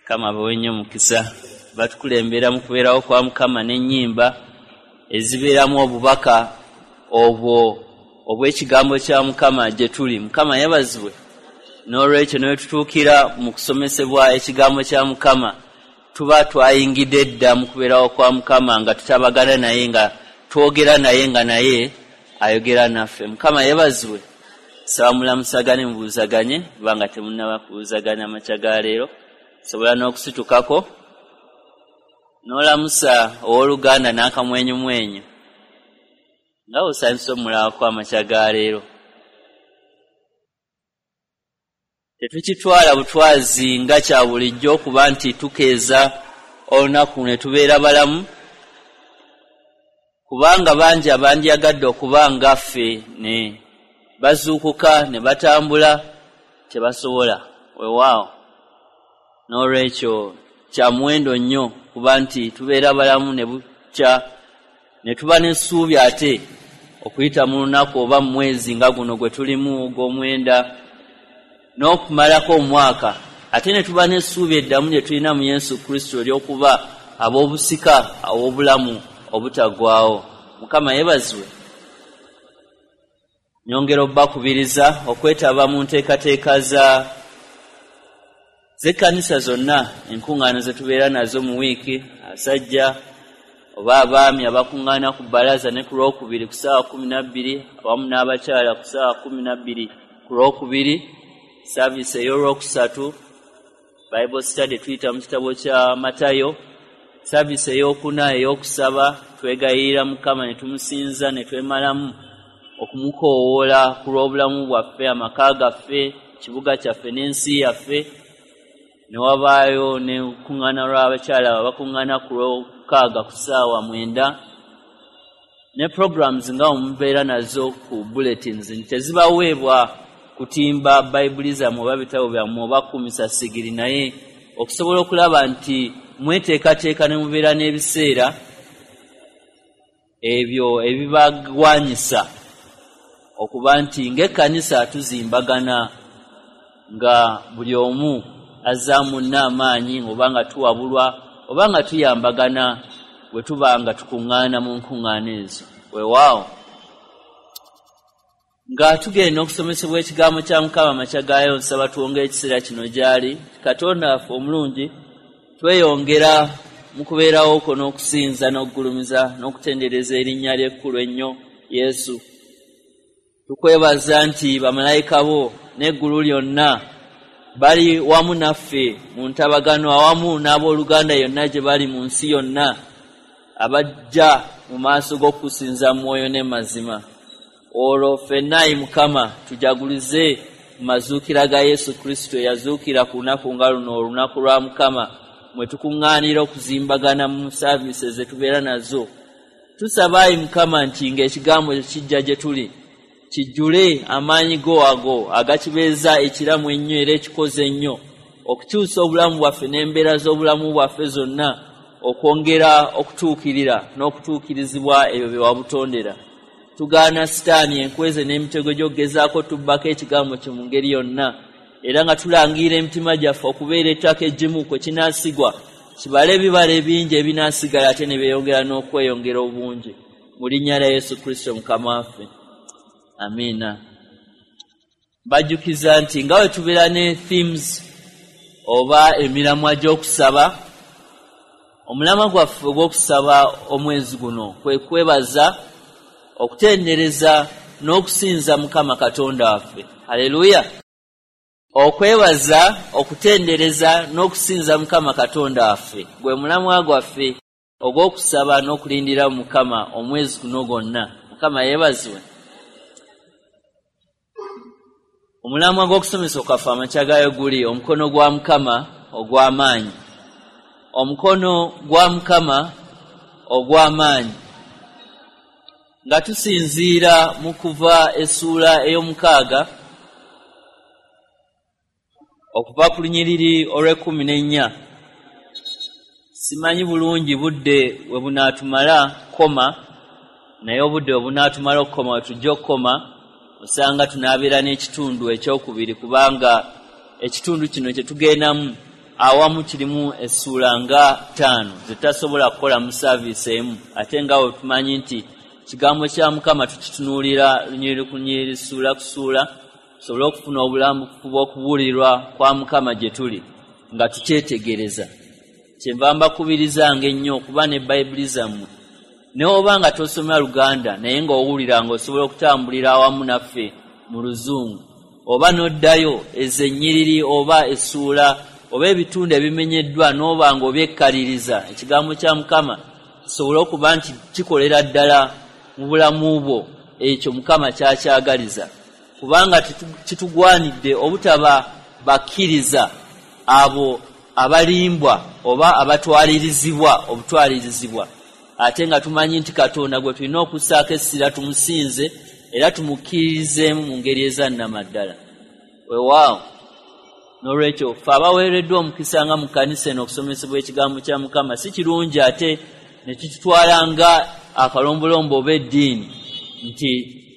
Mukama abawe nnyo mukisa. Batukulembera mu kubeerawo kwa Mukama n'ennyimba ezibeeramu obubaka obwo obw'ekigambo kya Mukama gye tuli. Mukama yeebazibwe. N'olwekyo ne tutuukira mu kusomesebwa ekigambo kya Mukama, tuba twayingidde dda mu kubeerawo kwa Mukama nga tutabagana naye, nga twogera naye, nga naye ayogera naffe. Mukama yeebazibwe. Saba mulamusagane, mubuuzaganye, kubanga temunnaba kubuuzagana amakya ga leero. Sobola n'okusitukako n'olamusa owooluganda n'akamwenyumwenyu nga osanyusa omulabako amakya ga leero. Tetukitwala butwazi nga kya bulijjo okuba nti tukeeza olunaku ne tubeera balamu, kubanga bangi abandyagadde okuba nga ffe ne bazuukuka ne batambula tebasobola. Weewaawo, n'olwekyo kya muwendo nnyo kuba nti tubeera balamu ne bukya ne tuba n'essuubi ate okuyita mu lunaku oba mu mwezi nga guno gwe tulimu ogw'omwenda n'okumalako omwaka, ate ne tuba n'essuubi eddamu lye tulina mu Yesu Kristo ery'okuba ab'obusika ab'obulamu obutaggwaawo. Mukama yeebazibwe. Nyongera obbakubiriza okwetaba mu nteekateeka z'ekkanisa zonna, enkuŋŋaana ze tubeera nazo mu wiiki, abasajja oba abaami abakuŋŋaana ku bbalaza ne ku Lwokubiri ku ssaawa 12, awamu n'abakyala ku ssaawa 12 ku Lwokubiri, saaviisi ey'Olwokusatu, Bible study tuyita mu kitabo kya Matayo, saaviisi ey'okuna ey'okusaba, twegayirira Mukama ne tumusinza ne twemalamu okumukoowoola ku lw'obulamu bwaffe, amaka gaffe, kibuga kyaffe n'ensi yaffe. Ne wabaayo n'enkuŋŋaana lw'abakyala abakuŋŋaana ku Lwokukaaga ku ssaawa 9, ne programs nga mubeera nazo ku bulletins nti tezibaweebwa kutimba Bayibuli zammwe oba bitabo byammwe oba kukumisa sigiri, naye okusobola okulaba nti mweteekateeka ne mubeera n'ebiseera ebyo ebibagwanyisa okuba nti ng'ekkanisa tuzimbagana nga buli omu azzaamu munne amaanyi, oba nga tuwabulwa oba nga tuyambagana bwe tuba nga tukuŋŋaana mu nkuŋŋaana ezo. Weewaawo, nga tugenda okusomesebwa ekigambo kya Mukama amakya gaayo, nsaba twongere ekiseera kino gy'ali. Katonda waffe omulungi, tweyongera mu kubeerawo kwo n'okusinza n'okugulumiza n'okutendereza erinnya ly'ekkulu ennyo Yesu. Tukwebaza nti bamalayika bo n'eggulu lyonna bali wamu naffe mu ntabagano, awamu n'abooluganda yonna gye bali mu nsi yonna, abajja mu maaso g'okusinza mwoyo ne mazima. Olwo ffenna ayi Mukama tujagulize mu mazuukira ga Yesu Kristo eyazuukira ku lunaku nga luno, olunaku lwa Mukama, mwe tukuŋŋaanira okuzimbagana mu saaviisi ze tubeera nazo. Tusaba ayi Mukama nti ng'ekigambo kijja gye tuli kijjule amaanyi go ago agakibeeza ekiramu ennyo era ekikoze ennyo okukyusa obulamu bwaffe n'embeera z'obulamu bwaffe zonna, okwongera okutuukirira n'okutuukirizibwa ebyo bye wabutondera. Tugaana Sitaani enkweze n'emitego gy'okugezaako tubbako ekigambo kye mu ngeri yonna, era nga tulangirira emitima gyaffe okubeera ettaka eggimu kwe kinaasigwa, kibale ebibala ebingi ebinaasigala ate ne byeyongera n'okweyongera obungi. Mu linnya lya Yesu Kristo Mukama waffe, amiina. Bajjukiza nti nga bwe tubeera ne themes oba emiramwa gy'okusaba, omulamwa gwaffe ogw'okusaba omwezi guno kwe kwebaza, okutendereza n'okusinza Mukama Katonda waffe. Haleluya! Okwebaza, okutendereza n'okusinza Mukama Katonda waffe gwe mulamwa gwaffe ogw'okusaba n'okulindira Mukama omwezi guno gwonna. Mukama yeebazibwe. Omulamwa gw'okusomesa okwaffe amakya gaayo guli omukono gwa Mukama ogw'amaanyi. Omukono gwa Mukama ogw'amaanyi. Nga tusinziira mu kuva essuula ey'omukaaga okuva ku lunyiriri olw'e14. Simanyi bulungi budde we bunaatumala kukoma, naye obudde we bunaatumala okukoma we tujja okukoma, osanga tunaabeera n'ekitundu ekyokubiri, kubanga ekitundu kino kye tugendamu awamu kirimu essuula nga 5 zetasobola kukola mu saaviisi emu, ate nga bwe tumanyi nti kigambo kya Mukama tukitunuulira lunyiriri ku lunyiriri, ssuula ku ssuula, tusobole okufuna obulambulukufu bw'okubuulirwa kwa Mukama gye tuli nga tukyetegereza. Kyenva mbakubirizanga ennyo okuba ne Bayibuli zammwe, ne oba nga tosoma Luganda naye ng'owulira ng'osobola okutambulira awamu naffe mu Luzungu, oba n'oddayo ezo ennyiriri oba essuula oba ebitundu ebimenyeddwa n'oba ng'obyekkaliriza, ekigambo kya Mukama kisobole okuba nti kikolera ddala mu bulamu bwo ekyo Mukama kyakyagaliza. Kubanga kitugwanidde obutaba bakkiriza abo abalimbwa oba abatwalirizibwa obutwalirizibwa, ate nga tumanyi nti Katonda gwe tulina okussaako essira tumusinze era tumukkiririzeemu mu ngeri ezannamaddala. Weewaawo, n'olwekyo ffe abaweereddwa omukisa nga mu kkanisa eno okusomesebwa ekigambo kya Mukama si kirungi ate ne tukitwala nga akalombolombo oba eddiini nti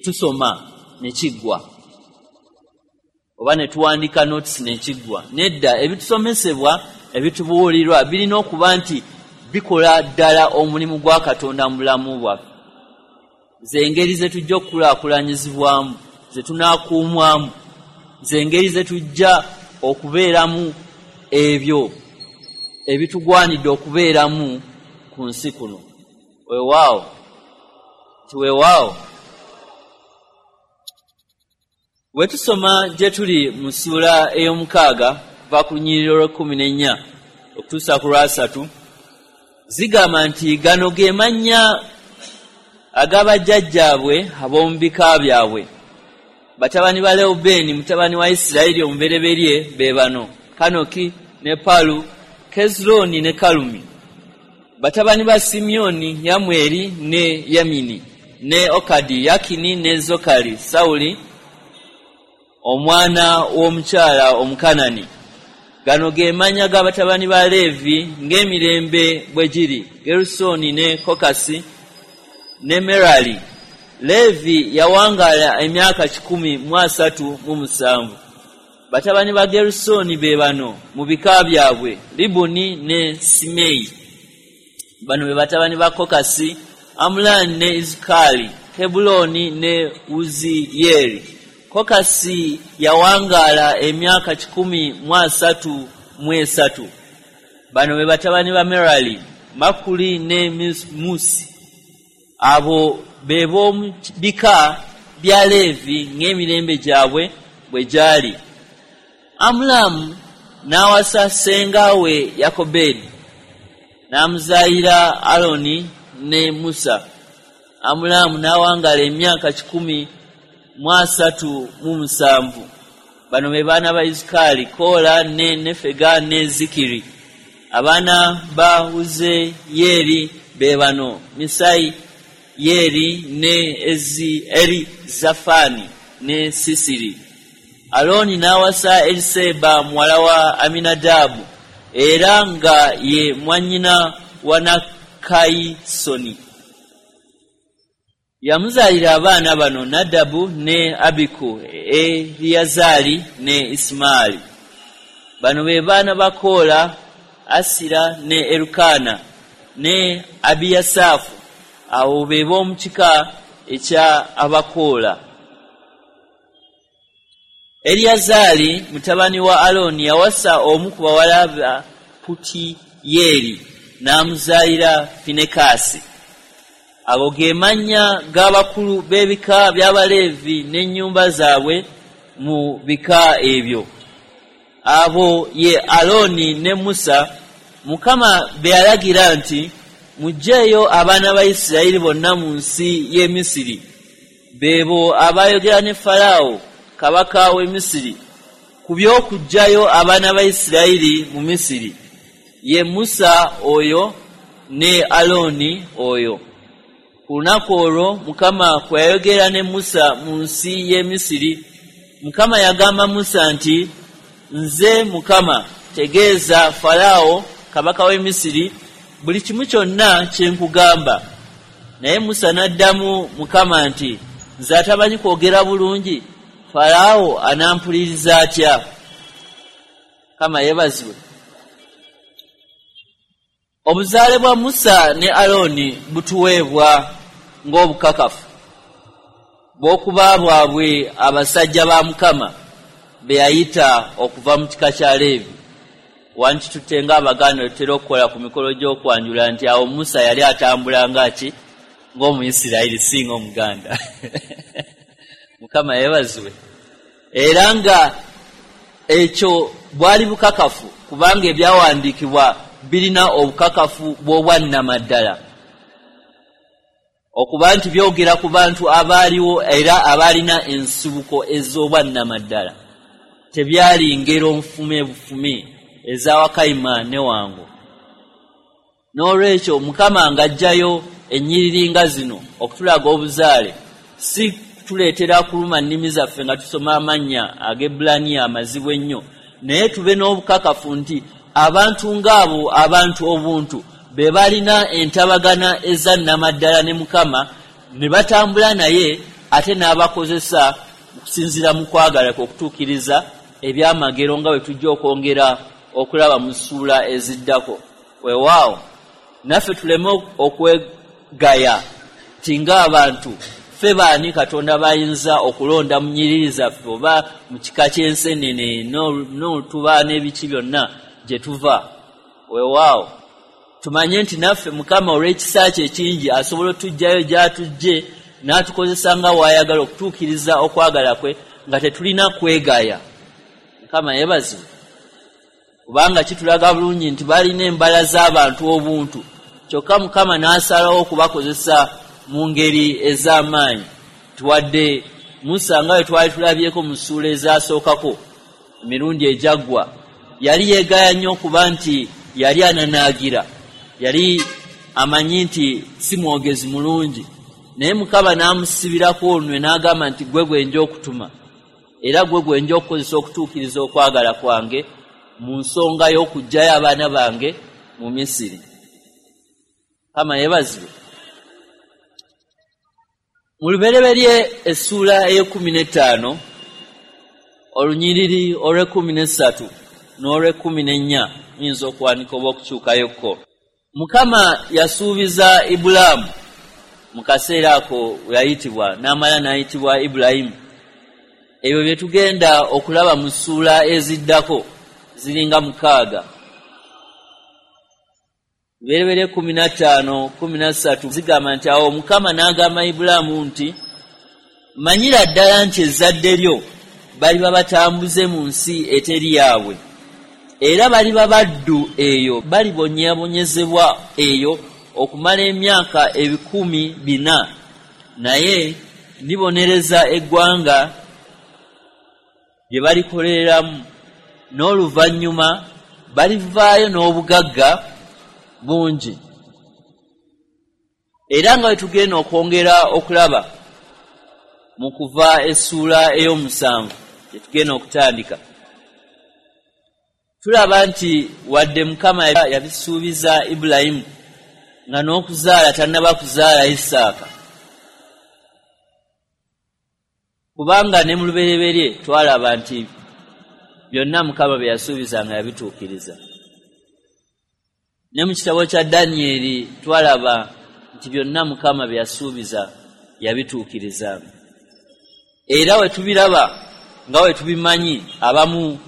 tusoma ne kiggwa oba ne tuwandiika notes ne kiggwa. Nedda, ebitusomesebwa ebitubuulirwa birina okuba nti bikola ddala omulimu gwa Katonda mu bulamu bwaffe. Ze ngeri ze tujja okukulaakulanyizibwamu, ze tunaakuumwamu, ze ngeri ze tujja okubeeramu ebyo ebitugwanidde okubeeramu ku nsi kuno. Weewaawo, nti weewaawo. Bwe tusoma gye tuli mu ssuula ey'omukaaga kuva ku lunyiriri olw'ekkumi n'ennya okutuusa ku lwasatu, zigamba nti gano ge mannya ag'abajjajjaabwe ab'omu bika byabwe. Batabani ba Lewubeeni mutabani wa Isirayiri omubereberye be bano: Kanoki ne Palu, Kezulooni ne Kalumi. Batabani ba Simyoni: Yamweri ne Yamini ne Okadi, Yakini ne Zokali, Sawuli omwana w'omukyala Omukanani. Gano ge mannya g'abatabani ba Leevi ng'emirembe bwe giri: Gerusooni ne Kokasi ne Merali. Leevi yawangaala emyaka 137. Batabani ba Gerusooni be bano mu bika byabwe: Libuni ne Simeeyi. Bano be batabani ba Kokasi: Amulaani ne Izukali, Kebbulooni ne Wuziyeeri. Kokasi yawangaala emyaka 133. Bano be batabani ba Merali: Makuli ne Musi. Abo be b'omu bika bya Leevi ng'emirembe gyabwe bwe gyali. Amulaamu n'awasa ssenga we Yakobedi, n'amuzaalira Alooni ne Musa. Amulaamu n'awangaala emyaka 137. Bano be baana ba Izukali: Koola ne Nefega ne Zikiri. Abaana ba Wuzeyeeri be bano: Misayi Yeri ne Erizafaani ne Sisiri. Alooni n'awasa Eriseba muwala wa Aminadaabu, era nga ye mwannyina wa Nakayisoni. Yamuzaalira abaana bano: Nadabu ne Abiku, Eriyazaali ne Isimaali. Bano be baana ba Koola: Asira ne Erukaana ne Abiyasaafu. Abo be b'omu kika ekya Abakoola. Eriyazaali mutabani wa Alooni yawasa omu ku bawala ba Putiyeeri, n'amuzaalira Finekaasi. Ago ge mannya g'abakulu b'ebika by'Abaleevi n'ennyumba zaabwe mu bika ebyo. Abo ye Alooni ne Musa, Mukama be yalagira nti, "Muggyeeyo abaana ba Isirayiri bonna mu nsi y'e Misiri." Beebo abaayogera ne Falaawo kabaka w'e Misiri ku by'okuggyayo abaana ba Isirayiri mu Misiri, ye Musa oyo ne Alooni oyo. Ku lunaku olwo Mukama kwe yayogera ne Musa mu nsi y'e Misiri, Mukama yagamba Musa nti, "Nze Mukama, tegeeza Falaawo kabaka w'e Misiri buli kimu kyonna kye nkugamba." Naye Musa n'addamu Mukama nti, "Nze atamanyi kwogera bulungi, Falaawo anampuliriza atya?" Mukama yeebazibwe. Obuzaale bwa Musa ne Alooni butuweebwa ng'obukakafu bw'okuba bwabwe abasajja ba Mukama be yayita okuva mu kika kya Leevi. Wantitutte ng'Abaganda tutera okukola ku mikolo gy'okwanjula nti awo Musa yali atambula nga ki? Ng'Omuyisirayiri, si ng'Omuganda. Mukama yeebazibwe. Era nga ekyo bwali bukakafu, kubanga ebyawandiikibwa birina obukakafu bw'obwannamaddala, okuba nti byogera ku bantu abaaliwo era abaalina ensibuko ez'obwannamaddala. Tebyali ngero nfume bufume eza Wakayima ne Wango. N'olwekyo Mukama ng'aggyayo ennyiriri nga zino okutulaga obuzaale, si kutuleetera kuluma nnimi zaffe nga tusoma amannya ag'Ebbulaniya amazibu ennyo, naye tube n'obukakafu nti abantu ng'abo, abantu obuntu, be balina entabagana ezannamaddala ne Mukama, ne batambula naye, ate n'abakozesa okusinziira mu kwagala kwe okutuukiriza ebyamagero nga bwe tujja okwongera okulaba mu ssuula eziddako. Weewaawo naffe tuleme okwegaya nti ng'abantu ffe baani Katonda b'ayinza okulonda mu nnyiriri zaffe oba mu kika ky'ensenene n'olutuba n'ebiki byonna gye tuva. Weewaawo tumanye nti naffe Mukama olw'ekisa kye ekingi asobola otuggyayo gy'atuggye n'atukozesa nga w'ayagala okutuukiriza okwagala kwe nga tetulina kwegaya. Mukama yeebazibwe, kubanga kitulaga bulungi nti balina embala z'abantu obuntu, kyokka Mukama n'asalawo okubakozesa mu ngeri ez'amaanyi. Tuwadde Musa nga bwe twali tulabyeko mu ssuula ezasookako emirundi ejaggwa, yali yeegaya nnyo okuba nti yali ananaagira, yali amanyi nti si mwogezi mulungi, naye Mukama n'amusibirako olunwe n'agamba nti gwe gwe nja okutuma, era gwe gwe nja okukozesa okutuukiriza okwagala kwange mu nsonga y'okuggyayo abaana bange mu Misiri. Mukama yeebazibwe. Mu Lubereberye essuula ey'e15, olunyiriri olw'e13 n'olw'e14, muyinza okuwanika oba okukyukayokko. Mukama yasuubiza Ibulaamu mu kaseera ako we yayitibwa, n'amala n'ayitibwa Ibulayimu. Ebyo bye tugenda okulaba mu ssuula eziddako ziringa 6. Lubereberye 15:13 zigamba nti awo Mukama n'agamba Ibulaamu nti manyira ddala nti ezzadde lyo baliba batambuze mu nsi eteri yaabwe, era baliba baddu eyo, balibonyeebonyezebwa eyo okumala emyaka 400, naye ndibonereza eggwanga lye balikoleramu, n'oluvannyuma balivaayo n'obugagga bungi. Era nga bwe tugenda okwongera okulaba mu kuva essuula ey'omusanvu gye tugenda okutandika, tulaba nti wadde Mukama yabisuubiza Ibulayimu nga n'okuzaala tannaba kuzaala Isaaka, kubanga ne mu Lubereberye twalaba nti byonna Mukama bye yasuubiza nga yabituukiriza. Ne mu kitabo kya Danyeri twalaba nti byonna Mukama bye yasuubiza yabituukiriza. Era we tubiraba nga we tubimanyi, abamu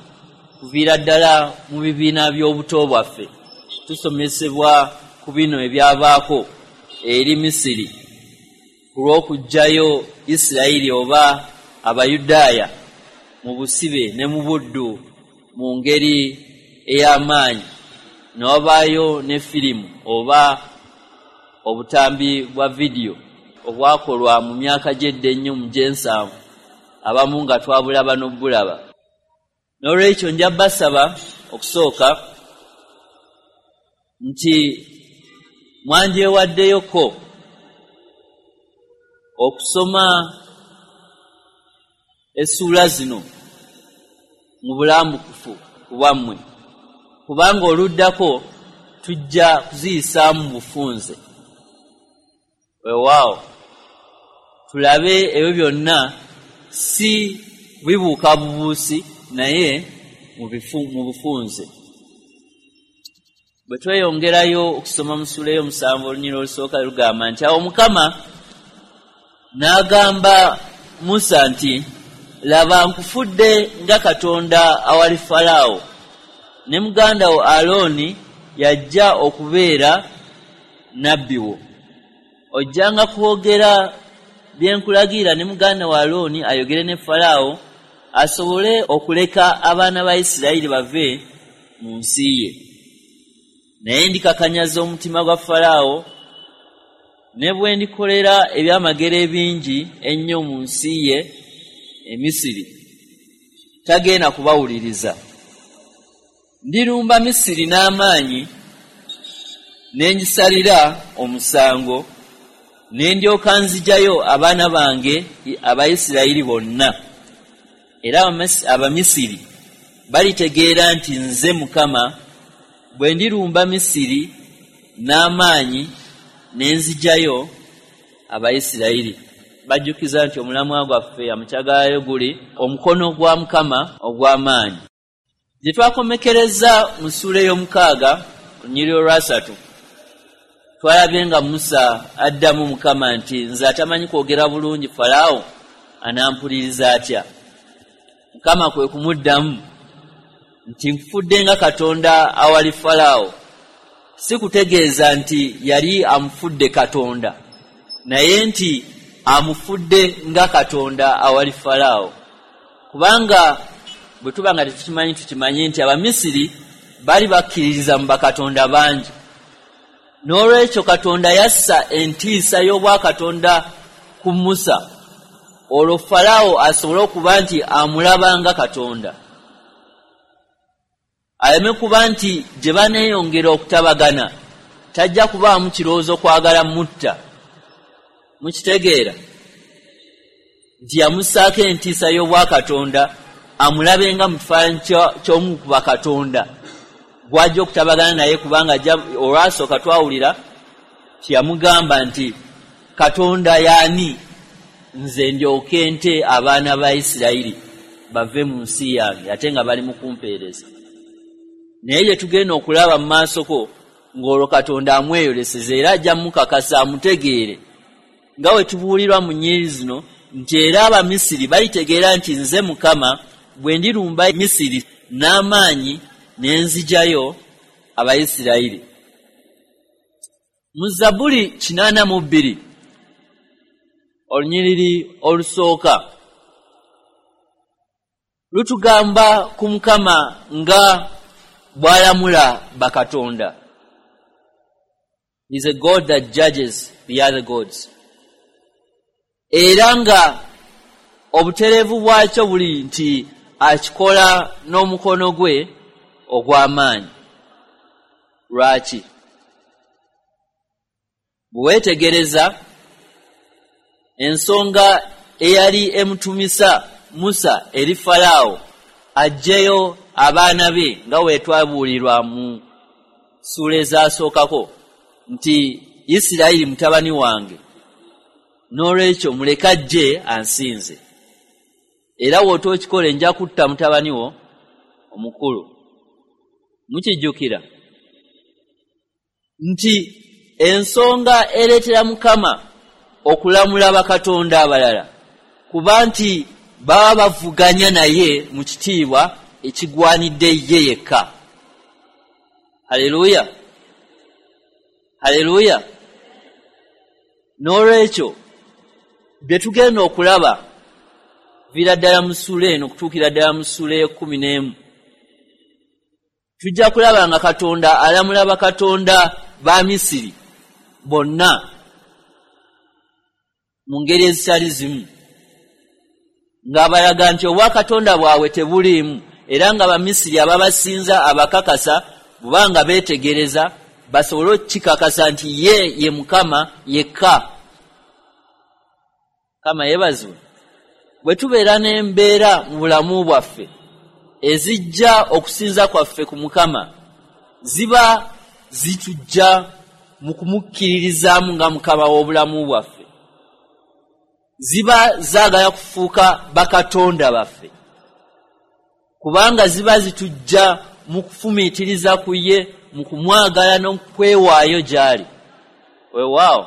kuviira ddala mu bibiina by'obuto bwaffe tusomesebwa ku bino ebyabaako eri Misiri ku lw'okuggyayo Isirayiri oba Abayudaaya mu busibe ne mu buddu mu ngeri ey'amaanyi, ne wabaayo ne firimu oba obutambi bwa vidiyo obwakolwa mu myaka gy'edda ennyo mu gy'ensanvu, abamu nga twabulaba n'obulaba. N'olwekyo nja basaba okusooka nti mwandyewaddeyoko okusoma essuula zino mu bulambukufu ku bwammwe, kubanga oluddako tujja kuziyisaamu bufunze. Weewaawo tulabe ebyo byonna si bibuuka bubuusi, naye mu bufunze. Bwe tweyongerayo okusoma mu ssuula ey'omusanvu olunyiriri olusooka lugamba nti awo Mukama n'agamba Musa nti, laba nkufudde nga Katonda awali Falaawo, ne muganda wo Alooni yajja okubeera nabbi wo. Ojjanga kwogera bye nkulagira ne muganda wo Alooni ayogere ne Falaawo asobole okuleka abaana ba Isirayiri bave mu nsi ye. Naye ndikakanyaza omutima gwa Falaawo, ne bwe ndikolera ebyamagero ebingi ennyo mu nsi ye e Misiri, tagenda kubawuliriza. Ndirumba Misiri n'amaanyi, ne ngisalira omusango, ne ndyoka nzigyayo abaana bange Abayisirayiri bonna. Era Abamisiri balitegeera nti nze Mukama bwe ndirumba Misiri n'amaanyi ne nzigyayo Abayisirayiri. Bajjukiza nti omulamwa gwaffe amukyagalayo guli omukono gwa Mukama ogw'amaanyi. Gye twakomekereza mu ssuula ey'omukaaga olunyiriri olwasatu, twalabye nga Musa addamu Mukama nti nze atamanyi kwogera bulungi Falaawo anampuliriza atya? Mukama kwe kumuddamu nti nkufudde nga Katonda awali Falaawo. Si kutegeeza nti yali amufudde Katonda, naye nti amufudde nga Katonda awali Falaawo. Kubanga bwe tuba nga tetukimanyi, tukimanye nti Abamisiri bali bakkiririza mu bakatonda bangi. N'olwekyo Katonda yassa entiisa y'obwakatonda ku Musa, olwo Falaawo asobole okuba nti amulaba nga Katonda. Aleme kuba nti gye baneeyongera okutabagana tajja kubaamu kirowoozo kwagala mutta. Mukitegeera nti yamussaako entiisa y'obwakatonda amulabe nga mu kifaananyi ky'omu ku bakatonda gw'ajja okutabagana naye, kubanga olwasooka twawulira tiyamugamba nti Katonda y'ani nze ndyoke nte abaana ba Isirayiri bave mu nsi yange ate nga bali mu kumpeereza. Naye gye tugenda okulaba mu maasoko ng'olwo Katonda amweyoleseza era ajja mukakasa amutegeere, nga we tubuulirwa mu nnyiriri zino nti era Abamisiri balitegeera nti nze Mukama bwe ndirumba Misiri n'amaanyi ne nzigyayo Abayisirayiri. Mu Zabbuli 82 olunyiriri olusooka lutugamba ku Mukama nga bw'alamula bakatonda. He is a God that judges the other gods. Era nga obutereevu bwakyo buli nti akikola n'omukono gwe ogw'amaanyi. Lwaki? Bwe weetegereza ensonga eyali emutumisa Musa eri Falaawo aggyeyo abaana be, nga we twabuulirwa mu ssuula ezaasookako nti Isirayiri mutabani wange, n'olwekyo muleke ajje ansinze, era w'otookikole nja kutta mutabani wo omukulu. Mukijjukira nti ensonga ereetera Mukama okulamula bakatonda abalala kuba nti baba bavuganya naye mu kitiibwa ekigwanidde ye yekka. Haleluya, haleluya. N'olwekyo bye tugenda okulaba viira ddala mu ssuula eno okutuukira ddala mu ssuula ey'ekkumi n'emu, tujja kulaba nga Katonda alamula bakatonda ba Misiri bonna mu ngeri ezitali zimu, ng'abalaga nti obwakatonda bwabwe tebuliimu, era nga Abamisiri ababasinza abakakasa bubanga beetegereza basobole okukikakasa nti ye ye Mukama yekka. Mukama yeebazibwe. Bwe tubeera n'embeera mu bulamu bwaffe ezijja okusinza kwaffe ku Mukama, ziba zitujja mu kumukkiririzaamu nga Mukama w'obulamu bwaffe, ziba zaagala kufuuka bakatonda baffe, kubanga ziba zitujja mu kufumiitiriza ku ye, mu kumwagala n'okwewaayo gy'ali. Weewaawo,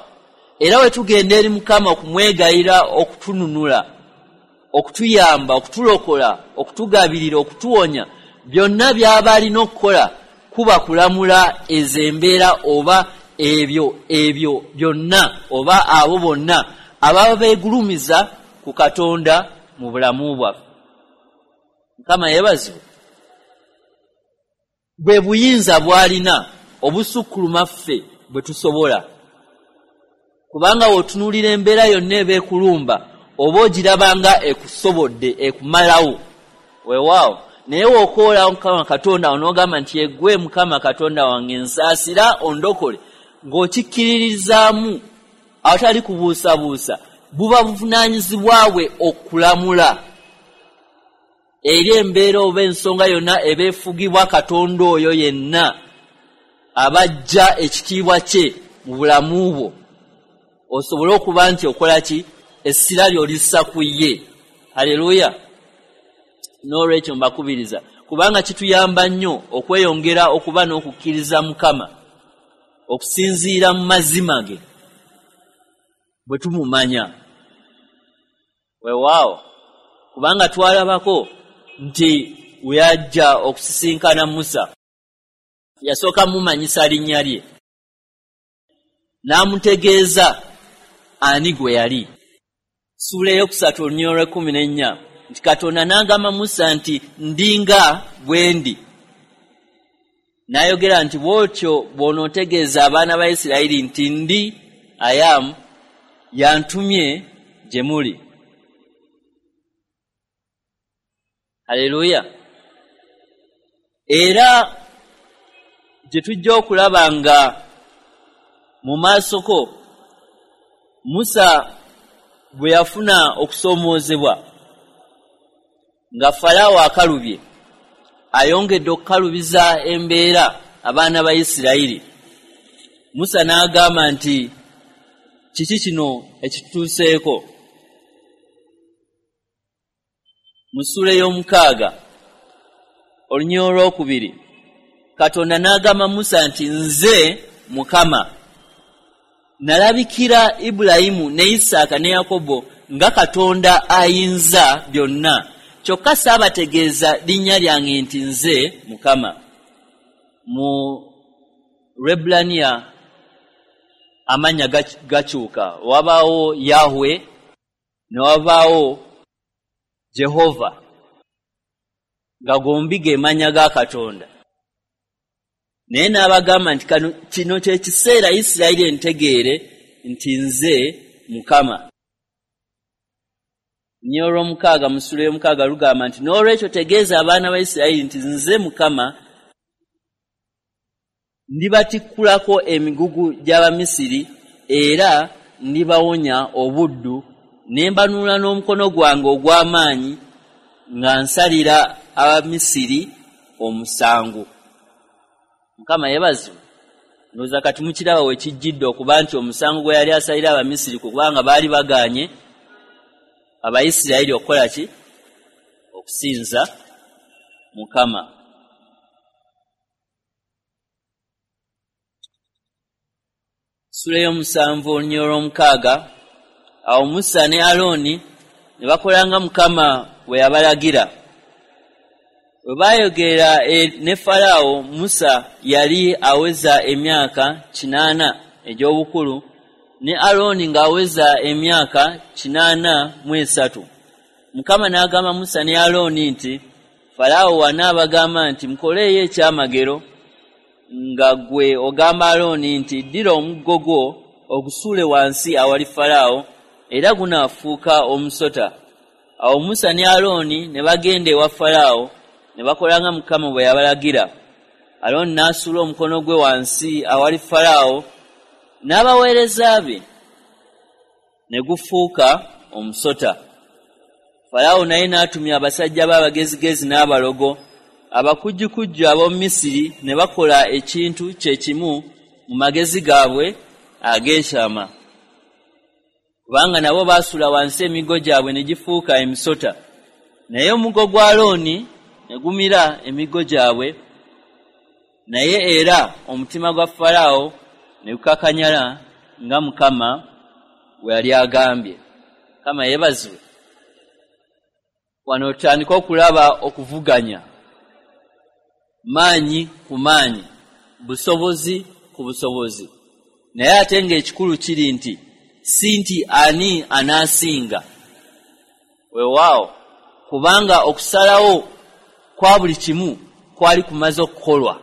era we tugenda eri Mukama okumwegayira okutununula, okutuyamba, okutulokola, okutugabirira, okutuwonya, byonna by'aba alina okukola kuba kulamula ezo embeera oba ebyo byonna oba abo bonna ababa beegulumiza ku Katonda mu bulamu bwaffe. Mukama yeebazibwe. Bwe buyinza bw'alina obusukkuluma ffe bwe tusobola, kubanga w'otunuulira embeera yonna eba ekulumba oba ogiraba nga ekusobodde, ekumalawo. Weewaawo, naye w'okoola Mukama Katonda wo n'ogamba nti eggwe Mukama Katonda wange nsaasira ondokole, ng'okikkiririzaamu awatali kubuusabuusa, buba buvunaanyizibwa bwe okulamula eri embeera oba ensonga yonna eba efugibwa Katonda oyo yenna abajja ekitiibwa kye mu bulamu bwo, osobole okuba nti okola ki? Essira ly'olissa ku ye. Haleluya! N'olwekyo mbakubiriza, kubanga kituyamba nnyo okweyongera okuba n'okukkiriza Mukama okusinziira mu mazima ge bwe tumumanya. Weewaawo, kubanga twalabako nti we yajja okusisinkana Musa, yasooka mumanyisa linnya lye, n'amutegeeza ani gwe yali. Ssuula 3 olunyiriri 14 nti Katonda n'agamba Musa nti ndi nga bwe ndi. N'ayogera nti bw'otyo bw'onootegeeza abaana ba Isirayiri nti ndi I am yantumye gye muli. Haleluya! Era gye tujja okulaba nga mu maasoko Musa bwe yafuna okusoomoozebwa nga Falaawo akalubye, ayongedde okukalubiza embeera abaana ba Isirayiri. Musa n'agamba nti kiki kino ekitutuuseeko? Mu ssuula 6 olunyiriri 2 Katonda n'agamba Musa nti nze Mukama nalabikira Ibulayimu ne Isaaka ne Yakobo nga Katonda ayinza byonna, kyokka saabategeeza linnya lyange nti nze Mukama. Mu Lwebbulaniya amannya gakyuka, wabaawo Yahwe ne wabaawo Jehova, nga gombi ge mannya ga Katonda. Naye n'abagamba nti kino kye kiseera Isirayiri entegeere nti nze Mukama. Olunyiriri 6 mu ssuula 6 lugamba nti n'olwekyo tegeeza abaana ba Isirayiri nti nze Mukama ndibatikkulako emigugu gy'Abamisiri era ndibawonya obuddu, ne mbanunula n'omukono gwange ogw'amaanyi nga nsalira Abamisiri omusango. Mukama yeebazibwe. Ndowooza kati mukiraba we kijjidde okuba nti omusango gwe yali asalira Abamisiri kubanga baali bagaanye Abayisirayiri okukola ki? Okusinza Mukama. Ssuula 7 olunyiriri 6 awo Musa ne Alooni ne bakolanga Mukama bwe yabalagira. Bwe baayogera ne Falaawo, Musa yali aweza emyaka 80 egy'obukulu ne Alooni ng'aweza emyaka 83. Mukama n'agamba Musa ne Alooni nti Falaawo wanaabagamba nti mukoleeyo ekyamagero, nga ggwe ogamba Alooni nti ddira omuggo gwo ogusuule wansi awali Falaawo, era gunaafuuka omusota. Awo Musa ne Alooni ne bagenda ewa Falaawo ne bakolanga Mukama bwe yabalagira. Alooni n'asuula omukono gwe wansi awali Falaawo n'abaweereza be, ne gufuuka omusota. Falaawo naye n'atumya abasajja be abagezigezi n'abalogo abakujjukujju ab'omu Misiri, ne bakola ekintu kye kimu mu magezi gaabwe ag'ekyama, kubanga nabo baasuula wansi emiggo gyabwe ne gifuuka emisota. Naye omuggo gwa Alooni ne gumira emiggo gyabwe. Naye era omutima gwa Falaawo ne gukakanyala nga Mukama bwe yali agambye. Mukama yeebazibwe. Wano tutandika okulaba okuvuganya maanyi ku maanyi, busobozi ku busobozi. Naye ate ng'ekikulu kiri nti si nti ani anaasinga. Weewaawo, kubanga okusalawo kwa buli kimu kwali kumaze okukolwa.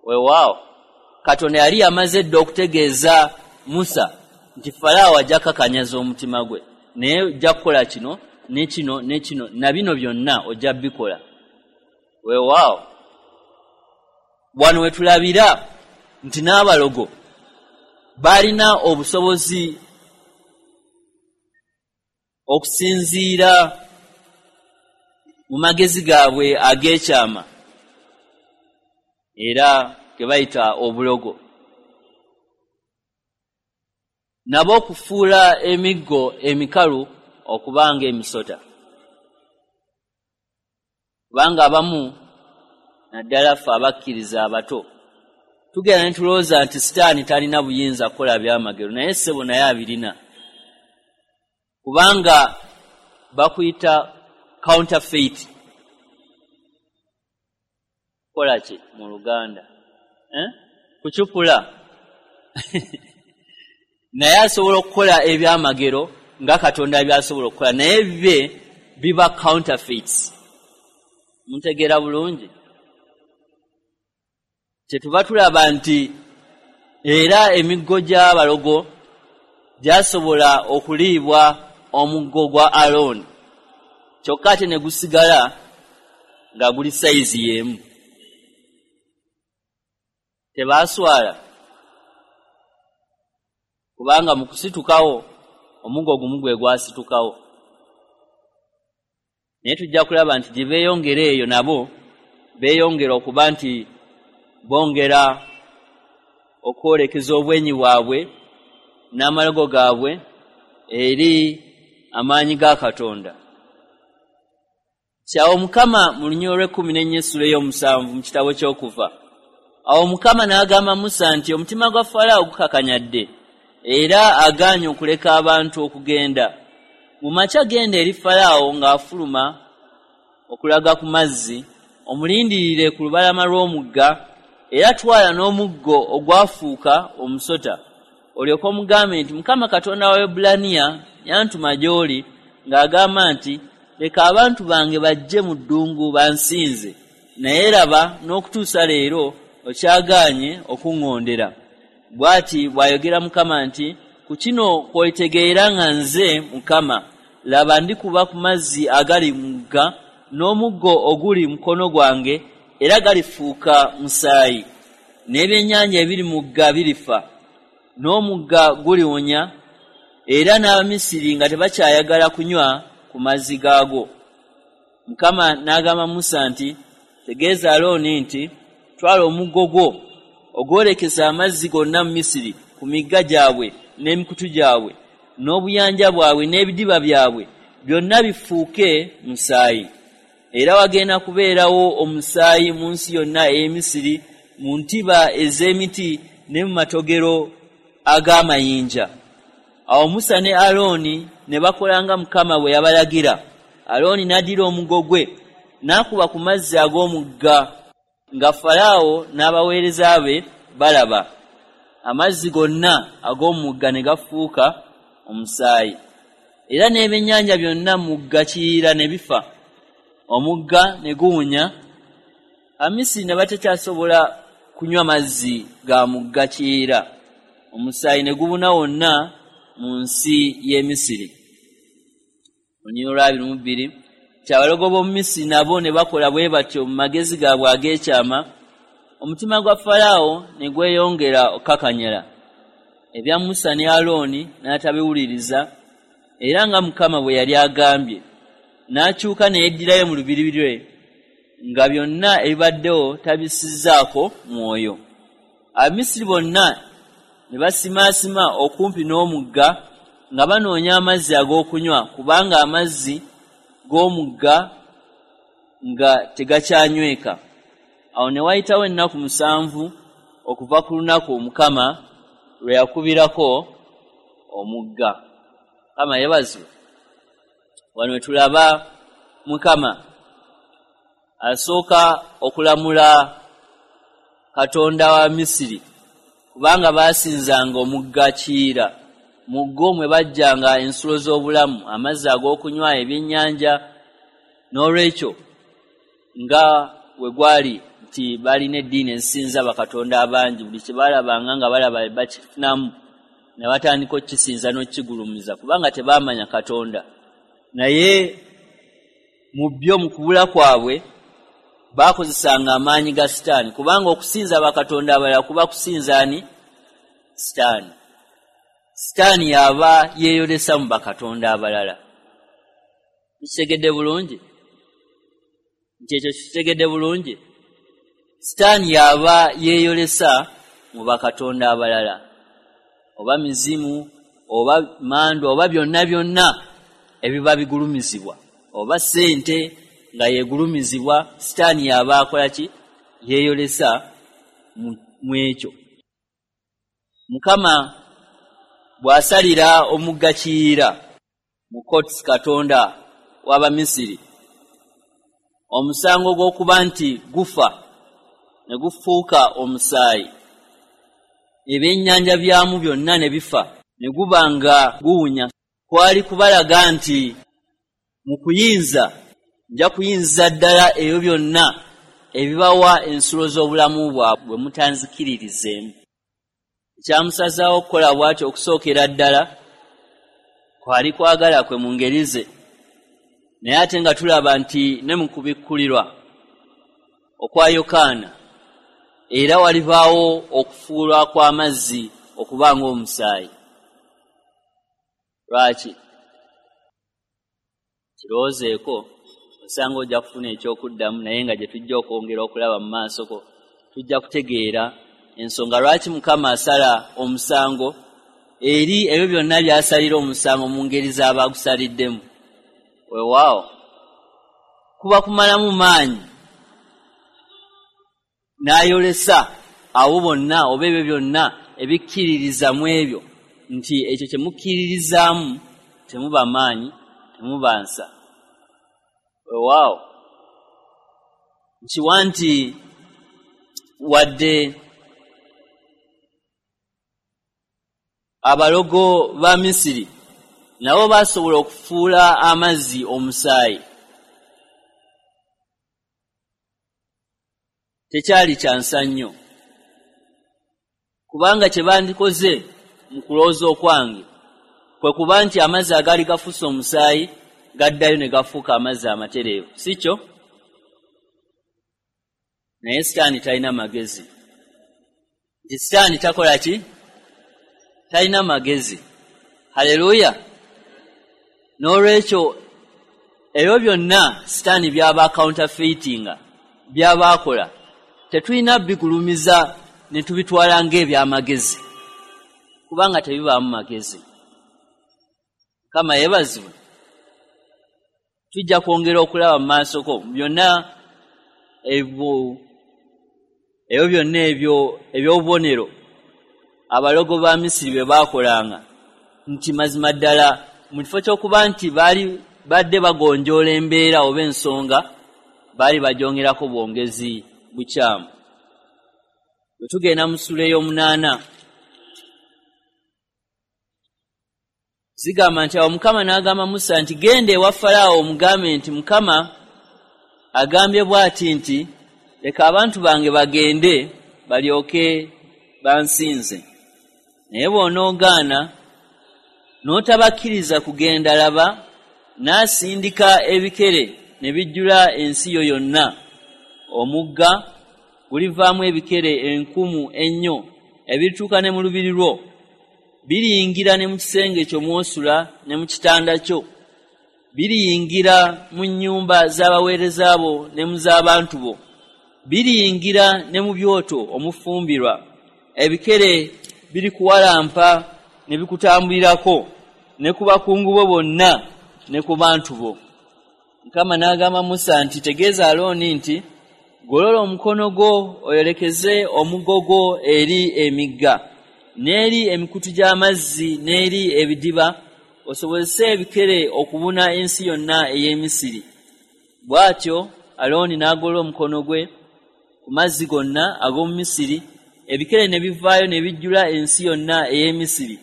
Weewaawo, Katonda yali yamaze dda okutegeeza Musa nti Falaawo ajja kukakanyaza omutima gwe, naye ojja kukola kino ne kino ne kino na bino byonna ojja bikola. Weewaawo, wano we tulabira nti n'abalogo balina obusobozi okusinziira mu magezi gaabwe ag'ekyama, era ge bayita obulogo, nabo okufuula emiggo emikalu okubanga emisota. Kubanga abamu, naddala ffe abakkiriza abato, tugenda ne tulowooza nti Sitaani talina buyinza kukola byamagero, naye ssebo naye abirina, kubanga bakuyita counterfeit. Kukola ki mu Luganda? Kucupula. Naye asobola okukola ebyamagero nga Katonda by'asobola okukola, naye bye biba counterfeits. Muntegeera bulungi? Kyetuva tulaba nti era emiggo gy'abalogo gyasobola okuliibwa omuggo gwa Alooni, kyokka ate ne gusigala nga guli sayizi y'emu. Tebaaswala, kubanga mu kusitukawo omuggo gumu gwe gwasitukawo. Naye tujja kulaba nti gye beeyongera eyo nabo beeyongera okuba nti bongera okwolekeza obwenyi bwabwe n'amalogo gaabwe eri amaanyi ga Katonda. Kyawo Mukama mu lunyiriri olw'ekkumi n'ennya essula ey'omusanvu mu kitabo ky'Okuva. Awo Mukama n'agamba Musa nti omutima gwa Falaawo gukakanyadde, era agaanye okuleka abantu okugenda. Mu makya genda eri Falaawo ng'afuluma okulaga ku mazzi, omulindirire ku lubalama lw'omugga, era twala n'omuggo ogwafuuka omusota. Olyoke omugambe nti Mukama Katonda wa Abaebbulaniya yantuma gy'oli ng'agamba nti leka abantu bange bajje mu ddungu bansinze, naye laba n'okutuusa leero okyagaanye okuŋŋondera. Bw'ati bw'ayogera Mukama nti ku kino kw'olitegeera nga nze Mukama. Laba ndikuba ku mazzi agali mu mugga n'omuggo oguli mu mukono gwange, era galifuuka musaayi, n'ebyennyanja ebiri mu mugga birifa, n'omugga guliwonya, era n'Abamisiri nga tebakyayagala kunywa ku mazzi gaagwo. Mukama n'agamba Musa nti tegeeza Alooni nti twala omuggo gwo ogwolekeza amazzi gonna mu Misiri, ku migga gyabwe n'emikutu gyabwe n'obuyanja bwabwe n'ebidiba byabwe byonna bifuuke musaayi. Era wagenda kubeerawo omusaayi mu nsi yonna ey'e Misiri, mu ntiba ez'emiti ne mu matogero ag'amayinja. Awo Musa ne Alooni ne bakola nga Mukama bwe yabalagira. Alooni n'addira omuggo gwe n'akuba ku mazzi ag'omugga nga Falaawo n'abaweereza be balaba. Amazzi gonna ag'omugga ne gafuuka omusaayi, era n'ebyennyanja byonna mu mugga Kiyira ne bifa. Omugga ne guwunya, Abamisiri ne batakyasobola kunywa mazzi ga mugga Kiyira. Omusaayi ne gubuna wonna mu nsi y'e Misiri. Olunyiriri olwa 22, Kyabalogo b'omu Misiri nabo ne bakola bwe batyo mu magezi gaabwe ag'ekyama, omutima gwa Falaawo ne gweyongera okukakanyala. Ebya Musa ne Alooni n'atabiwuliriza, era nga Mukama bwe yali agambye, n'akyuka ne yeddirayo mu lubiri lwe, nga byonna ebibaddewo tabissizzaako mwoyo. Abamisiri bonna ne basimaasima okumpi n'omugga nga banoonya amazzi ag'okunywa, kubanga amazzi g'omugga nga tegakyanyweka. Awo ne wayitawo ennaku 7 okuva ku lunaku Mukama lwe yakubirako omugga. Mukama yeebazibwe. Wano tulaba Mukama asooka okulamula Katonda wa Misiri, kubanga baasinzanga omugga Kiyira. Mu gwo mwe bajjanga ensulo z'obulamu, amazzi ag'okunywa, ebyennyanja. N'olwekyo nga we gwali nti balina eddiini ezisinza bakatonda abangi, buli kye baalabanga nga balaba bakifunamu ne batandika okukisinza n'okukigulumiza, kubanga tebaamanya Katonda. Naye mu byo, mu kubula kwabwe, baakozesanga amaanyi ga Sitaani, kubanga okusinza bakatonda abalala kuba kusinza ani? Sitaani. Sitaani yaba yeeyolesa mu bakatonda abalala. Kitegedde bulungi? Nti ekyo kitegedde bulungi? Sitaani yaba yeeyolesa mu bakatonda abalala, oba mizimu, oba mandwa, oba byonna byonna ebiba bigulumizibwa, oba ssente nga yeegulumizibwa. Sitaani yaba akola ki? Yeeyolesa mu ekyo. Mukama bw'asalira omugga Kiyira mu Kots, Katonda w'Abamisiri, omusango gw'okuba nti gufa ne gufuuka omusaayi, ebyennyanja byamu byonna ne bifa, ne guba nga guwunya, kwali kubalaga nti mu kuyinza nja kuyinza ddala ebyo byonna ebibawa ensulo z'obulamu bwabwe bwe mutanzikiririzeemu. Ekyamusazaawo okukola bw'atyo okusookera ddala kwali kwagala kwe mu ngeri ze. Naye ate nga tulaba nti ne mu kubikkulirwa okwa Yokaana era walibaawo okufuulwa kw'amazzi okuba ng'omusaayi. Lwaki? Kirowoozeeko, osanga ojja kufuna ekyokuddamu, naye nga gye tujja okwongera okulaba mu maasoko tujja kutegeera ensonga lwaki Mukama asala omusango eri ebyo byonna by'asalira omusango mu ngeri z'aba agusaliddemu. Weewaawo, kuba kumalamu maanyi n'ayolesa abo bonna oba ebyo byonna ebikkiririza mu ebyo nti ekyo kye mukkiririzaamu temuba maanyi, temuba nsa. Weewaawo, nkiwa nti wadde abalogo ba Misiri nabo basobola okufuula amazzi omusaayi, tekyali kya nsa nnyo, kubanga kye bandikoze mu kulowooza okwange kwe kuba nti amazzi agaali gafuuse omusaayi gaddayo ne gafuuka amazzi amatereevu, si kyo? Naye Sitaani talina magezi. Nti Sitaani takola ki? Talina magezi. Haleluya! N'olwekyo ebyo byonna Sitaani by'aba counterfeitinga, by'aba akola, tetulina bigulumiza ne tubitwala ng'ebyamagezi, kubanga tebibaamu magezi. Mukama yeebazibwe. Tujja kwongera okulaba mu maasoko byonna ebyo byonna ebyo eby'obubonero abalogo ba Misiri bwe baakolanga, nti mazima ddala mu kifo ky'okuba nti baali badde bagonjoola embeera oba ensonga, baali bagyongerako bwongezi bukyamu. Bwe tugenda mu ssuula ey'omunaana, zigamba nti awo Mukama n'agamba Musa nti genda ewa Falaawo omugambe nti Mukama agambye bw'ati nti leka abantu bange bagende balyoke bansinze. Naye bw'onoogaana n'otabakkiriza kugenda, laba n'asindika ebikere ne bijjula ensi yo yonna. Omugga gulivaamu ebikere enkumu ennyo ebirituuka ne mu lubiri lwo, biriyingira ne mu kisenge kyo mw'osula ne mu kitanda kyo, biriyingira mu nnyumba z'abaweereza bo ne mu z'abantu bo, biriyingira ne mu byoto omufumbirwa. Ebikere birikuwalampa ne bikutambulirako ne ku bakungu bo bonna ne ku bantu bo. Mukama n'agamba Musa nti tegeeza Alooni nti Golola omukono gwo oyolekeze omuggo gwo eri emigga n'eri emikutu gy'amazzi n'eri ebidiba, osobozese ebikere okubuna ensi yonna ey'e Misiri. Bw'atyo Alooni n'agolola omukono gwe ku mazzi gonna ag'omu Misiri, ebikere ne bivaayo ne bijjula ensi yonna ey'e Misiri.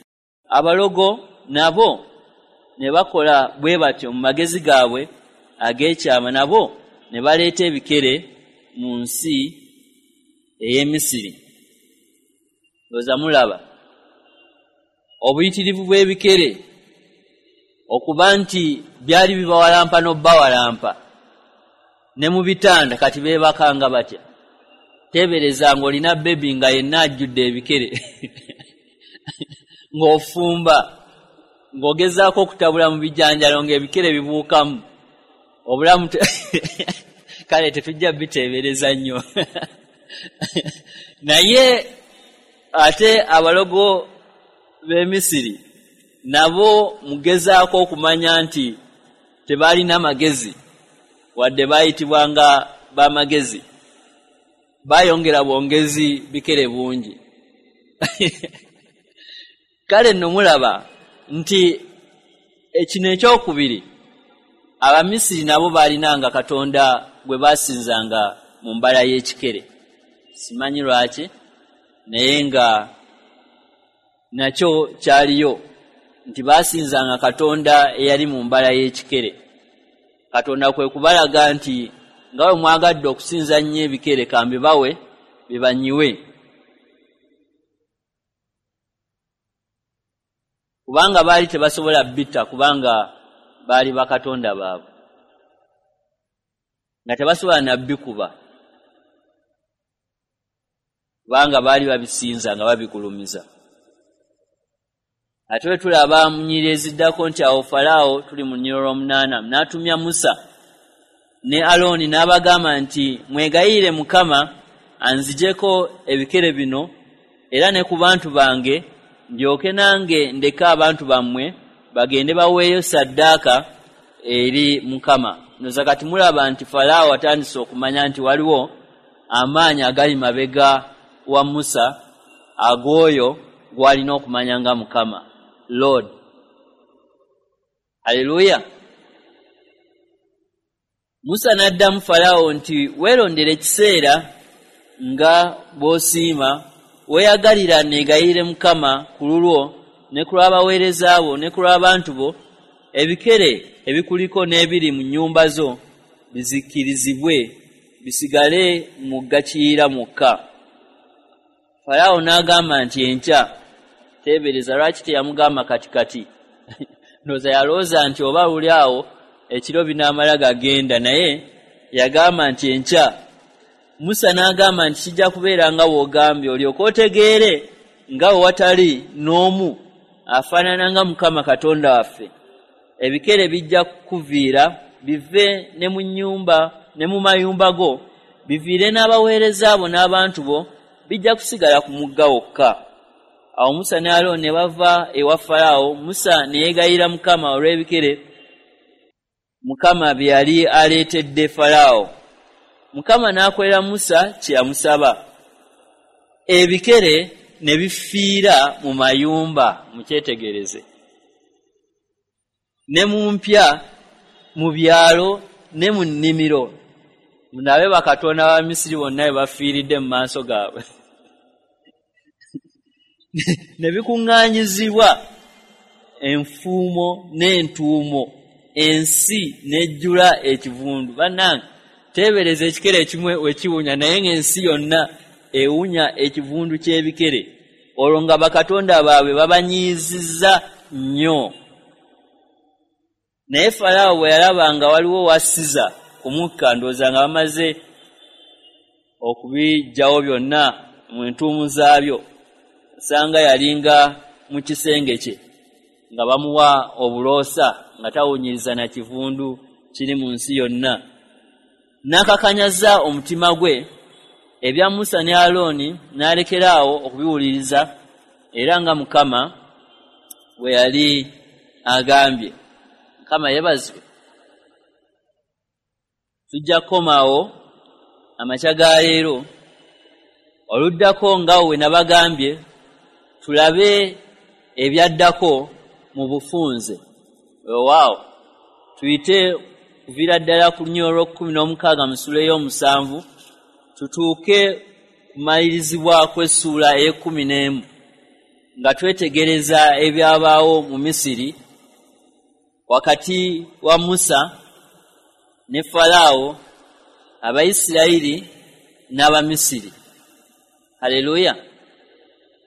Abalogo nabo ne bakola bwe batyo mu magezi gaabwe ag'ekyama, nabo ne baleeta ebikere mu nsi ey'e Misiri. Ndowooza mulaba obuyitirivu bw'ebikere, okuba nti byali bibawalampa n'obbawalampa ne mu bitanda. Kati beebakanga batya? Teebereza ng'olina bebi nga yenna ajjudde ebikere ng'ofumba, ng'ogezaako okutabula mu bijanjalo ng'ebikere bibuukamu. Obulamu kale tetujja biteebereza nnyo. Naye ate abalogo b'e Misiri nabo mugezaako okumanya nti tebalina magezi, wadde bayitibwanga b'amagezi, bayongera bwongezi bikere bungi. Kale nno mulaba nti ekino ekyokubiri, Abamisiri nabo baalinanga katonda gwe baasinzanga mu mbala y'ekikere. Simanyi lwaki, naye nga nakyo kyaliyo nti baasinzanga katonda eyali mu mbala y'ekikere. Katonda kwe kubalaga nti nga bwe mwagadde okusinza nnyo ebikere, kambibawe bibanyiwe, kubanga baali tebasobola bitta, kubanga baali bakatonda baabwe, nga tebasobola nabbikuba, kubanga baali babisinza nga babigulumiza. Ate bwe tulaba mu nnyiriri eziddako nti awo Falaawo, tuli mu nnyiriri olw'omunaana, n'atumya Musa ne Alooni n'abagamba nti, mwegayirire Mukama anzigyeko ebikere bino era ne ku bantu bange, ndyoke nange ndeke abantu bammwe bagende baweeyo ssaddaaka eri Mukama. Noza kati mulaba nti Falaawo atandise okumanya nti waliwo amaanyi agali mabega wa Musa, ag'oyo gw'alina okumanya nga Mukama Lord. Haleluya. Musa n'addamu Falaawo nti, weerondere ekiseera nga bw'osiima, weeyagalira neegayirire Mukama ku lulwo ne ku lw'abaweereza bo ne ku lw'abantu bo, ebikere ebikuliko n'ebiri mu nnyumba zo bizikirizibwe, bisigale mu Kiyira mwokka. Falaawo n'agamba nti, enkya. Teebereza lwaki teyamugamba kati kati. Ndowooza yalowooza nti oba luli awo ekiro binaamala gagenda, naye yagamba nti enkya. Musa n'agamba nti, kijja kubeera nga bw'ogambye, olyoke otegeere nga bwe watali n'omu afaanana nga Mukama Katonda waffe. Ebikere bijja kukuviira bive ne mu nnyumba ne mu mayumba go, biviire n'abaweereza bo n'abantu bo, bijja kusigala ku mugga wokka. Awo Musa ne Alooni ne bava ewa Falaawo. Musa ne yeegayirira Mukama olw'ebikere Mukama bye yali aleetedde Falaawo. Mukama n'akolera Musa kye yamusaba. Ebikere ne bifiira mu mayumba, mukyetegereze, ne mu mpya, mu byalo ne mu nnimiro. Munabe bakatonda ba Misiri bonna bwe bafiiridde mu maaso gaabwe. Ne bikuŋŋaanyizibwa enfuumo n'entuumo, ensi n'ejjula ekivundu. Bannange, teebereza ekikere ekimu we kiwunya, naye ng'ensi yonna ewunya ekivundu ky'ebikere. Olwo nga bakatonda baabwe babanyiizizza nnyo. Naye Falaawo bwe yalaba nga waliwo wasiza ku mukka, ndowooza nga bamaze okubiggyawo byonna mu ntuumu zaabyo, osanga yalinga mu kisenge kye nga bamuwa obuloosa nga tawunyiriza na kivundu kiri mu nsi yonna. N'akakanyaza omutima gwe, ebya Musa ne Alooni n'alekera awo okubiwuliriza, era nga Mukama bwe yali agambye. Mukama yeebazibwe. Tujja kukomaawo amakya ga leero. Oluddako nga we nabagambye tulabe ebyaddako mu bufunze. Weewaawo tuyite kuviira ddala ku lunyiriri olw'okukkumi n'omukaaga mu ssuula ey'omusanvu tutuuke kumalirizibwa kw'essuula ey'ekkumi n'emu, nga twetegereza ebyabaawo mu Misiri wakati wa Musa ne Falaawo, Abayisirayiri n'Abamisiri. Haleluya!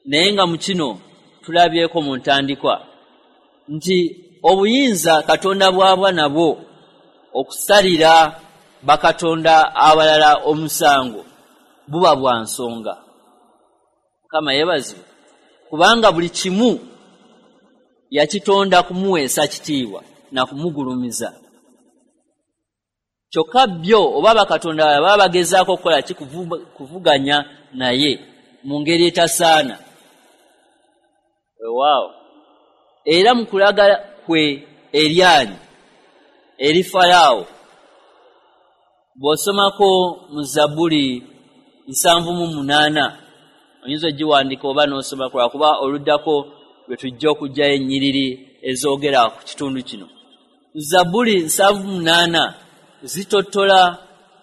Naye nga mu kino tulabyeko mu ntandikwa nti obuyinza Katonda bw'aba nabwo okusalira bakatonda abalala omusango buba bwa nsonga. Mukama yeebazibwe, kubanga buli kimu yakitonda kumuweesa kitiibwa na kumugulumiza. Kyokka byo oba bakatonda baba bagezaako okukola ki? Kuvuganya naye mu ngeri etasaana. Weewaawo era mu kulaga kwe eryanyi eri Falaawo, bw'osomako mu Zabbuli 78, oyinza ogiwandika oba n'osomako, lwakuba oluddako lwe tujja okuggyayo ennyiriri ezoogera ku kitundu kino. Zabbuli 78 zitottola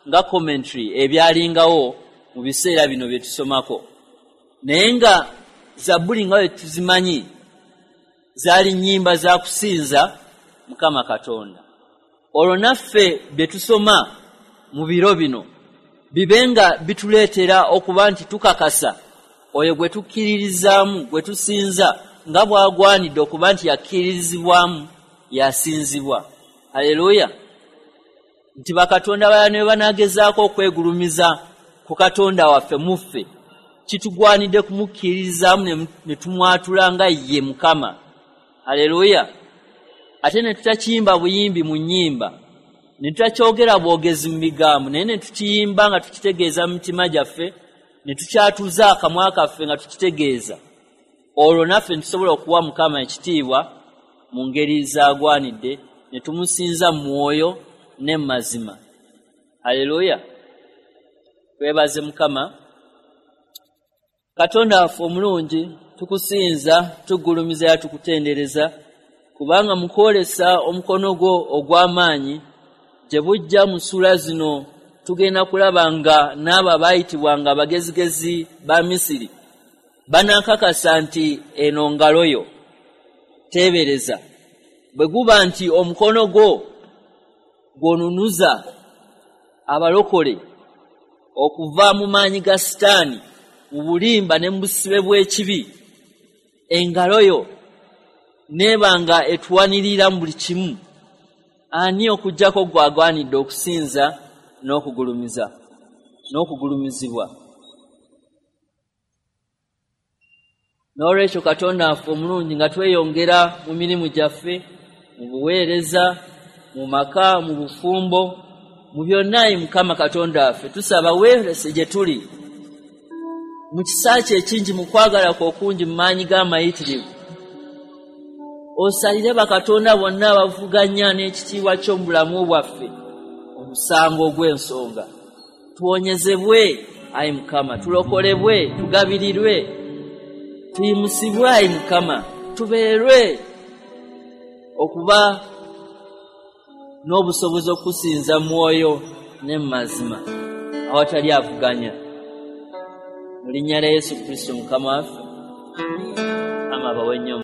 nga commentary ebyalingawo mu biseera bino bye tusomako. Naye nga zabbuli nga bwe tuzimanyi zaali nnyimba za kusinza Mukama Katonda. Olwo naffe bye tusoma mu biro bino bibe nga bituleetera okuba nti tukakasa oyo gwe tukkiririzaamu, gwe tusinza, nga bw'agwanidde okuba nti yakkiririzibwamu, yasinzibwa. Haleluya! Nti bakatonda balala ne banaagezaako okwegulumiza ku Katonda waffe, muffe kitugwanidde kumukkiririzaamu ne tumwatula nga ye Mukama. Haleluya! Ate ne tutakiyimba buyimbi mu nnyimba, ne tutakyogera bwogezi mu bigambo, naye ne tukiyimba nga tukitegeeza mu mitima gyaffe, ne tukyatuza akamwa kaffe nga tukitegeeza. Olwo naffe ntusobola okuwa Mukama ekitiibwa mu ngeri z'agwanidde, ne tumusinza mu mwoyo ne mu mazima. Haleluya! Twebaze Mukama Katonda waffe omulungi. Tukusinza, tugulumiza era tukutendereza, kubanga mu kwolesa omukono gwo ogw'amaanyi gye bujja mu ssuula zino, tugenda kulaba nga n'abo abaayitibwanga abagezigezi ba Misiri banaakakasa nti eno ngalo yo. Teebereza bwe guba nti omukono gwo gw'onunuza abalokole okuva mu maanyi ga Sitaani, mu bulimba ne mu busibe bw'ekibi, engalo yo neeba nga etuwanirira mu buli kimu. Ani okuggyako gwagwanidde okusinza n'okugulumiza n'okugulumizibwa? N'olwekyo, Katonda waffe omulungi, nga tweyongera mu mirimu gyaffe, mu buweereza, mu maka, mu bufumbo, mu byonna, ayi Mukama Katonda waffe, tusaba weerese gye tuli mu kisa kye ekingi, mu kwagala kwe okungi, mu maanyi g'amayitirivu. Osalire bakatonda bonna abavuganya n'ekitiibwa ky'omu bulamu bwaffe omusango ogw'ensonga. Tuwonyezebwe, ayi Mukama, tulokolebwe, tugabirirwe, tuyimusibwe, ayi Mukama, tubeerwe okuba n'obusobozi okusinza mwoyo ne mu mazima awatali avuganya, mu linnya lya Yesu Kristo Mukama waffe. Mukama abawe nnyo.